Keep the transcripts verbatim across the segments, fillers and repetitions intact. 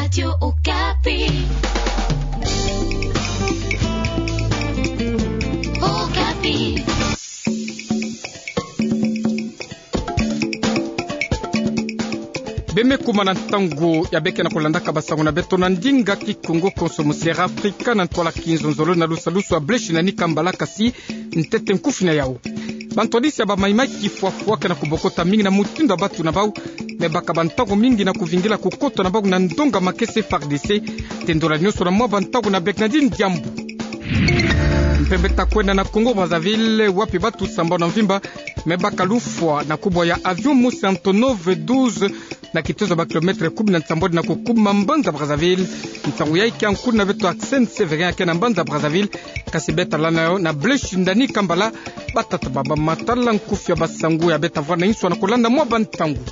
Radio Okapi. Okapi. Beme kuma na ntangu ya beke na kulandaka basango na beto na ndinga Kikongo konso mu Sierra Africa na ntwala kinzonzolo na lusalusu ya Blaise Nani Kambala, kasi ntete nkufi na yau. Bantwadisi ya bamaimai kifwafwa ke na kubokota mingi na mutindu ya batu na bau, me baka bantangu mingi na kuvingila kukota na bau na ndonga makesa F R D C. Tendola nionso na mwa bantangu na Bernardine Diambu. Mpe beta kwenda na Congo Brazzaville, wapi batu sambanu ya mvimba me baka lufwa na kubwa ya avion mosi Antonov douze, na kitezo ya ba kilomètre kumi na nsambwadi na kukuma mbanza Brazzaville. Ntangu yayi kia nkuna beto Arsène Sévérin ya ke na mbanza Brazzaville, kasi beta landa yo na Blaise Nani Kambala. Batata baba, matala nkufi ya basango ya beta vwa na inswa na kulanda mwa bantangu.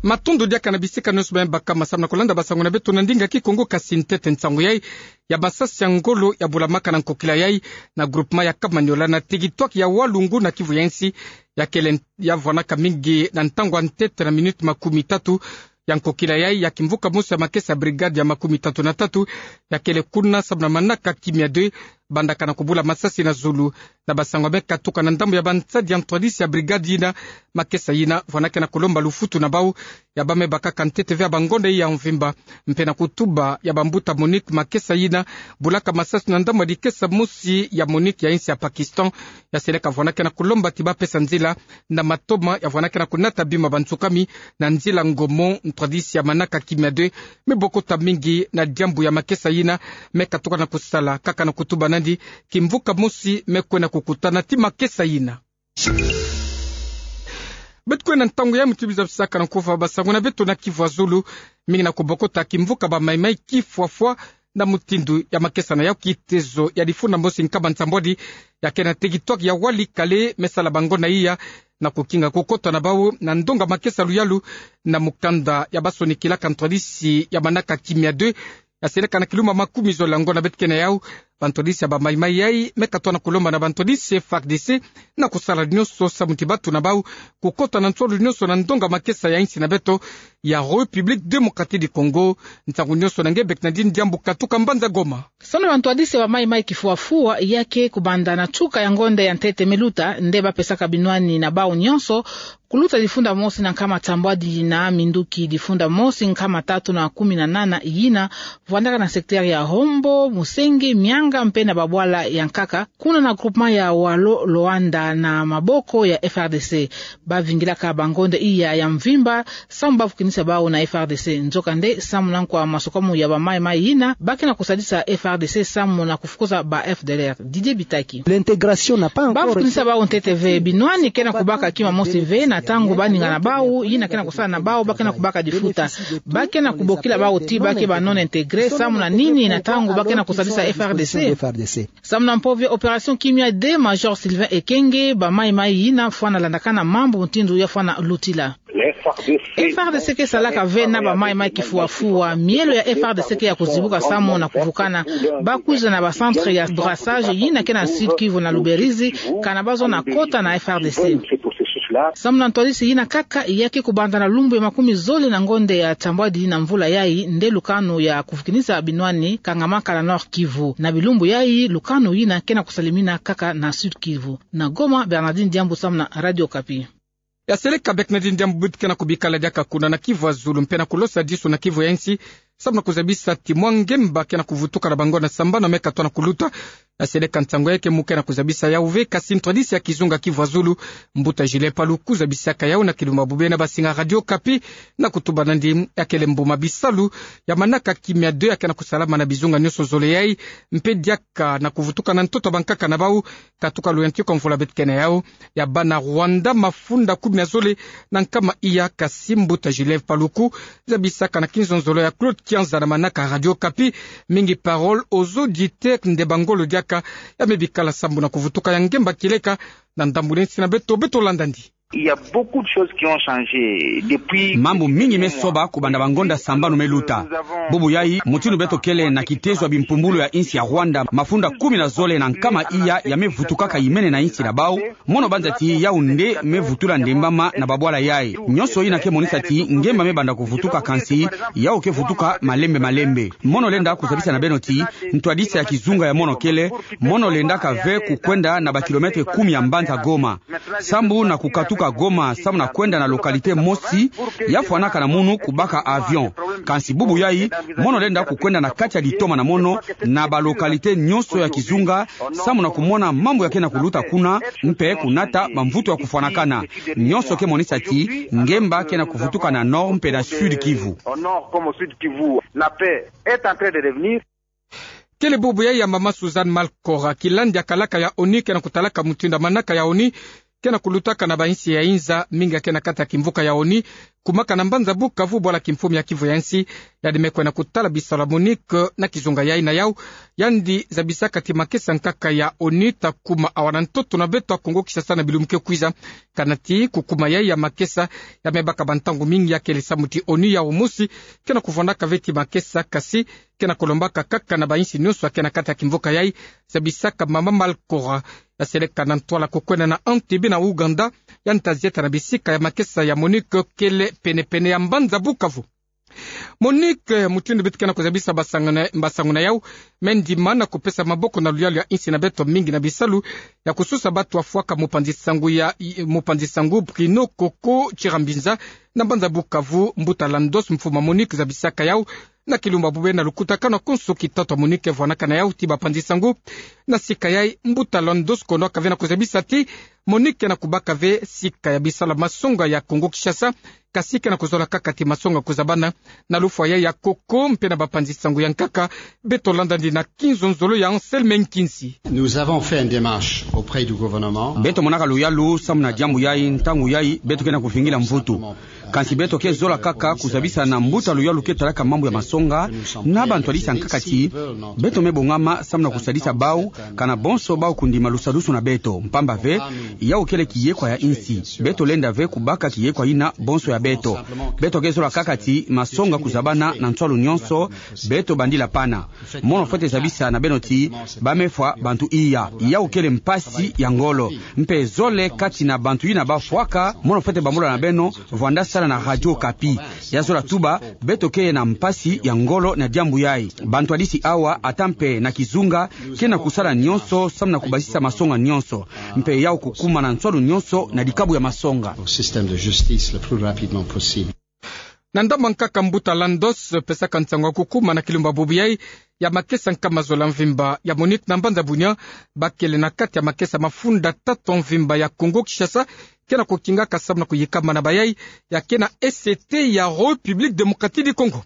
Matondo diaka na bisika nionso bame baka masamu na kulanda basango na beto na ndinga Kikongo, kasi ntete nsangu yayi ya masasi ya ngolo ya bulamaka na nkokila yayi na groupement ya Kamanyola na territoire ya Walungu na Kivu ya insi, ya kele ya vwanaka mingi na ntangu ya ntete na minute makumi tatu ya nkokila yayi ya kimvuka mosi ya makesa brigade ya makumi tatu na tatu, ya kele kuna samu na manaka kimia deux, bandaka na kubula masasi na zulu. Na basango ya me katuka na ndambu ya bansadi ya ntwadisi ya brigade yina, makesa yina vwanaka na kulomba lufutu na bau ya bame bakaka ntete ve ya bangonda ya mvimba. Mpe na kutuba ya bambuta MONUC, makesa yina bulaka masasi na ndambu ya dikesa mosi ya MONUC ya insi ya Pakistan, ya seleka vwanaka na kulomba ti bapesa nzila na matoma ya vwanaka na kunata bima bansukami na nzila ngomo. Ntwadisi ya manaka kimia deux me bokota mingi na diambu ya makesa yina, me katuka na kusala kaka na kutuba nandi kimvuka mosi me kwenda kukutana ti makesa yina. Beto kwenda ntangu ya muti biza bisaka na nkufi ya basango na beto na Kivu ya zulu, mingi na kubokota kimvuka bamaimai kifwafwa na mutindu ya makesa na yau. Kitezo ya difunda mosi nkama nsambwadi ya ke na territoire ya Walikale me sala bangonda iya na kukinga kukota na bau na ndonga makesa luyalu na mukanda ya basonikilaka ntwadisi ya manaka kimia deux, ya seleka na kilumba makumi zole ya ngonda beto ke na yau. Bantwadisi ya bamaimai yayi me katuka na kulomba na bantwadisi F R D C na kusala nionso samu ti batu na bau kukota na nsolo nionso na ndonga makesa ya insi na beto ya République Démocratique du Congo. Nsangu nionso na nge Bernardine Diambu katuka mbanza Goma. Samu na bantwadisi ya bamaimai kifwafwa, ya ke kubanda na tuka ya ngonda ya ntete me luta, nde bapesaka binwani na bau nionso, kuluta difunda mosi na nkama nsambwadi na minduki difunda mosi nkama tatu na kumi na nana yina vwandaka na secteur ya Hombo, Musenge, Mianga mpe na babwala ya nkaka, kuna na groupement ya Walo Loanda na maboko ya F R D C. Bavingilaka bangonda iya ya mvimba samu bafukinisa bau na F R D C. Nzokande, samu na nkwa masukamu ya bamaimai yina, ba ke na kusadisa F R D C samu na kufukuza ba F D L R. Didier Bitaki. L'intégration n'a pas encore... Bafukinisa bau ntete ve, binwani ke na kubaka kima mosi ve na ntangu baninga na bau, yina ke na kusala na bau, ba ke na kubaka difuta. Ba ke na kubokila bau ti ba ke ba non-intégrés, samu na nini na ntangu ba ke na kusadisa F R D C. Samu na mpove opération kimia deux, Major Sylvain Ekenge, bamaimai yina fwana landakana mambu mutindu ya fwana lutila. F R D C ke salaka ve na bamaimai kifwafwa, mielo ya F R D C ke ya kuzibuka samu na kuvukana. Ba kwiza na ba centre ya brassage yina ke na Sud-Kivu na Luberizi, kana bazo na kota na F R D C. Samu na ntwadisi yina kaka, ya ke kubanda na lumbu ya makumi zole na ngonda ya nsambwadi na mvula yayi, nde lukanu ya kufukinisa binwani kangamaka na Nord-Kivu. Na bilumbu yayi, lukanu yina ke na kusalimina kaka na Sud-Kivu. Na Goma, Bernardine Diambu samu na Radio Okapi. Ya seleka Bernardine Diambu, beto ke na kubikala diaka kuna na Kivu ya zulu mpe na kulosa disu na Kivu ya insi, samu na kuzabisa ti mwa ngemba ke na kuvutuka na bangonda sambanu me katuka na kuluta. Ya seleka nsangu yayi ke mu ke na kuzabisa yau ve, kasi ntwadisi ya kizunga Kivu ya zulu, mbuta Julien Paluku, zabisaka yau na kilumbu bubu na basinga Radio Okapi, na kutuba nandi ya kele mbuma bisalu ya manaka kimia deux ya ke na kusalama na bizunga nionso zole yayi, mpe diaka na kuvutuka na ntoto ya bankaka na bau, katuka luyantika mvula beto ke na yau, ya bana Rwanda mafunda kumi na zole na nkama iya. Kasi mbuta Julien Paluku zabisaka na kinzonzolo ya Claude Kianza na manaka Radio Okapi, mingi parole aux auditeurs nde bangolo diaka ya me bikala sambu na kuvutuka ya ngemba kieleka na ndambu neti na beto. Beto landa ndi. Il y a beaucoup de choses qui ont changé depuis. Mambu mingi me soba kubanda bangonda sambanu me luta. Bubu yai, mutindu beto kele na kitezo ya bimpumbulu ya insi ya Rwanda, mafunda kumi na zole na nkama iya ya me vutukaka imene na insi na bau, mono banza ti yau nde me vutula ndembama na babwala yai. Nionso ina ke monisa ti ngemba me banda kuvutuka, kansi yau ke vutuka malembe malembe. Mono lenda kuzabisa na beno ti ntwadisi ya kizunga ya mono kele, mono lendaka ve kukwenda na ba kilomètres kumi ya mbanza Goma, sambu na kukatuka Goma, sambu na kwenda na localité mosi, ya fwanaka na munu kubaka avion. Kansi bubu yai, mono lenda kukwenda na kati ya litoma na mono, na ba localité nionso ya kizunga, sambu na kumona mambu ya ke na kuluta kuna, mpe kunata bamvutu ya kufwanakana. Nionso ke monisa ti ngemba ke na kuvutuka na Nord mpe na Sud Kivu. Au nord comme au sud Kivu, la paix est en train de revenir. Kele bubu yai ya mama Suzanne Malcorra, kilandi ya kalaka ya ONU ke na kutalaka mutindu ya manaka ya ONU ke na kulutaka na bainsi ya inza mingi ya ke na kati ya kimvuka ya ONU, kumaka na mbanza Bukavu, bwala kimfumu ya Kivu ya insi. Yandi me kwenda kutala bisalu ya MONUC na kizunga yai. Na yau, yandi zabisaka ti makesa nkaka ya ONU ta kuma awa na ntoto na beto ya Kongo Kinshasa na bilumbu ke kwiza. Kana ti kukuma yai ya makesa ya me baka bantangu mingi, ya kele samu ti ONU yau mosi ke na kuvwandaka ve ti makesa, kasi ke na kulombaka kaka na bainsi nionso ya ke na kati ya kimvuka yai, zabisaka mama Malcorra. Ya seleka na ntwala kukwenda na Entebbe na Ouganda, yandi ta zieta na bisika ya makesa ya MONUC kele pene-pene ya mbanza Bukavu. MONUC, eh, mutindu beto ke na kuzabisa basangu na, basangu na yau, me ndima na kupesa maboko na luyalu ya insi na beto mingi na bisalu ya kusosa bato ya fwaka mupanzi sangu ya, i-, mupanzi sangu Bruno Koko Chirambinza na mbanza Bukavu. Mbuta Landos, mfumu ya MONUC, zabisaka yau na kilumbu ya bubu na lukutakanu ya konso kitatu ya MONUC ke vwanaka na yau ti bapanzi sangu. Na sika yai, mbuta Landos kondwaka ve na kuzabisa ti MONUC ke na kubaka ve sika ya bisalu ya masonga ya Kongo Kinshasa, kasi ke na kuzola kaka ti masonga kuzabana. Na lufwa yai ya Koko mpe na bapanzi sangu ya nkaka, beto landandi na kinzonzolo ya Anselme Nkinsi. Nous avons fait une démarche auprès du gouvernement. Beto monaka luyalu samu na diambu yai, ntangu yai beto ke na kuvingila mvutu. Kansi beto ke zola kaka kuzabisa na mbuta luyalu ke talaka mambu ya masonga na bantwadisi ya nkaka ti beto me bongama samu na kusadisa bau, kana bonso bau kundima lusadusu na beto. Mpamba ve, yau kele kiyekwa ya insi. Beto lenda ve kubaka kiyekwa ina bonso ya beto. Beto ke zola kaka ti masonga kuzabana na nswalu nionso beto bandila pana. Mono fwete zabisa na beno ti ba me fwa bantu iya. Yau kele mpasi ya ngolo. Mpe zole kati na bantu ina ba fwaka, mono fwete bambola na beno, vwanda sala na Radio Okapi. Ya zola tuba, beto ke na mpasi ya ngolo na diambu yai. Bantwadisi awa, ata mpe na kizunga, ke na kusala nionso samu na kubasisa masonga nionso. Mpe yau kukuma na nswalu nionso na dikabu ya masonga. Au système de justice le plus rapidement possible. Na ndambu ya nkaka, mbuta Landos pesaka nsangu ya kukuma na kilumbu ya bubu yai ya makesa nkama zola mvimba ya MONUC na mbanza Bunia, bakele na kati ya makesa mafunda tatu mvimba ya Kongo Kinshasa, ke na kukingaka samu na kuyikama na bayai ya ke na E C T ya République Démocratique du Congo.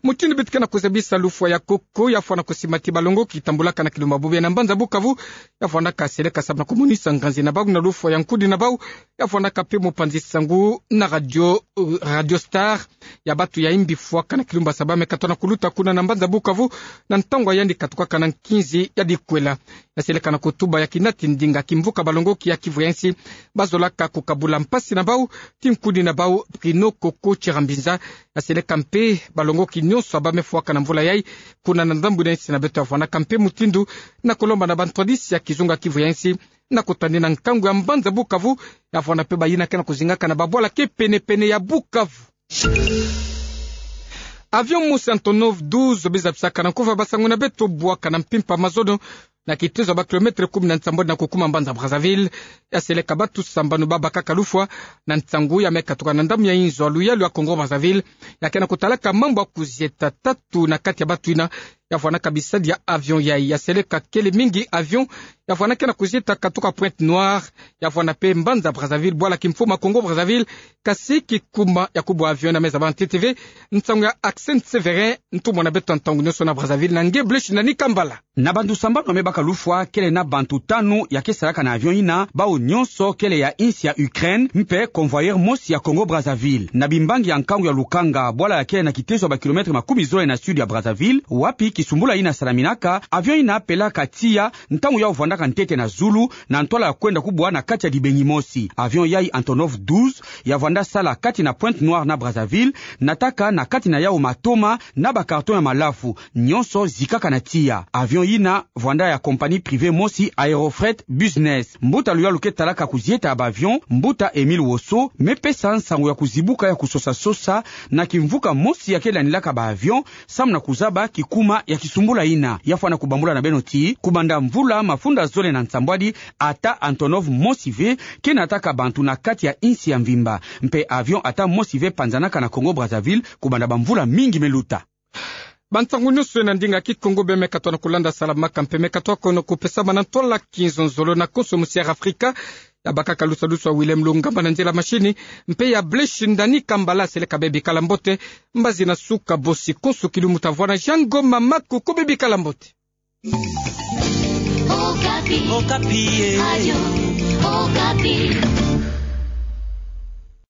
Mutindu beto ke na kuzabisa, lufwa ya Koko ya fwana kusima ti balongoki tambulaka na kilumbu ya bubu yai na mbanza Bukavu, ya fwanaka seleka samu na kumonisa nganzi na bau na lufwa ya nkudi na bau, ya fwanaka mpe mupanzi sangu na radio, euh, Radio Star, ya batu ya imbi fwaka na kilumbu ya saba me katwa na kuluta kuna na mbanza Bukavu, na ntangu ya yandi katukaka na nkinzi ya dikwela. Ya seleka na kutuba ya kinati ndinga kimvuka balongoki ya Kivu ya insi ba zolaka kukabula mpasi na bau ti nkudi na bau Bruno Koko Chirambinza. Ya seleka mpe balongoki nionso ya ba me fwaka na mvula yai kuna na ndambu ina insi na beto, ya fwanaka mpe mutindu na kulomba na bantwadisi ya kizunga Kivu ya insi na kutadina nkangu ya mbanza Bukavu, ya fwana mpe bayina ke na kuzingaka na babwala ke pene-pene ya Bukavu. Avion mosi Antonov douze, bie zabisaka na nkufi ya basangu na beto, bwaka na mpimpa mazono na kitezo ya ba kilomètres kumi na nsambwadi na kukuma mbanza Brazzaville. Ya seleka batu sambanu ba bakaka lufwa na nsangu ya me katuka na ndambu ya inzo ya luyalu ya Congo Brazzaville, ya ke na kutalaka mambu ya kuzieta. Tatu na kati ya batu ina ya fwanaka bisadi ya avion yai. Ya seleka kele mingi avion ya fwanaka na kuzieta katuka Pointe-Noire, ya fwana mpe mbanza Brazzaville, bwala kimfumu ya Congo Brazzaville, kasi kikuma ya kubwa avion ina me zaba ntete ve. Nsangu ya Accent Sévérin, ntumwa na beto ya ntangu nionso na Brazzaville, na nge Blaise Nani Kambala. Na bantu sambanu ba me baka lufwa, kele na bantu tanu ya ke salaka na avion ina, bau nionso kele ya insi ya Ukraine, mpe convoyeur mosi ya Congo Brazzaville. Na bimbangi ya nkangu ya lukanga, bwala ya kele na kitezo ya ba kilomètres makumi zole na sud ya Brazzaville, wapi Kisumbula ina salaminaka, avion ina pelaka tiya ntangu yau vwandaka ntete na zulu, na ntwala ya kwenda kubwa na kati ya dibengi mosi. Avion yai Antonov douze ya vwanda sala kati na Pointe-Noire na Brazzaville, nataka na kati na yau matoma na ba carton ya malafu, nyonso zikaka na tiya. Avion ina vwanda ya compagnie privée mosi, Aerofret Business. Mbuta luyalu ke talaka kuzieta ya ba avion, Mbuta Émile Wosso, me pesa nsangu ya kuzibuka ya kusosa-sosa na kimvuka mosi ya ke landilaka ba avion, samu na kuzaba kikuma ya kisumbula ina. Ya fwana kubambula na beno ti, kubanda mvula mafunda zole na nsambwadi, ata Antonov mosi ve ke nataka bantu na kati ya insi ya mvimba. Mpe avion ata mosi ve panzanaka na Congo-Brazzaville, kubanda bamvula mingi me luta. Bansangu nyonso ena ndinga Kikongo be me katoa na kulanda salamaka mpe me katoa kono kupesama na ntwala kinzonzolo na konso musi ya Afrika. Ya bakaka lusa-lusa Willem Lungamba na nzela mashini, mpe ya Blaise Ndani Kambala seleka be bikala mbote. Mbazi na suka bosi konso kilu muta vwa na Jean Ngoma Maku, ko be bikala mbote. Okapi. Okapi, eh. Radio Okapi.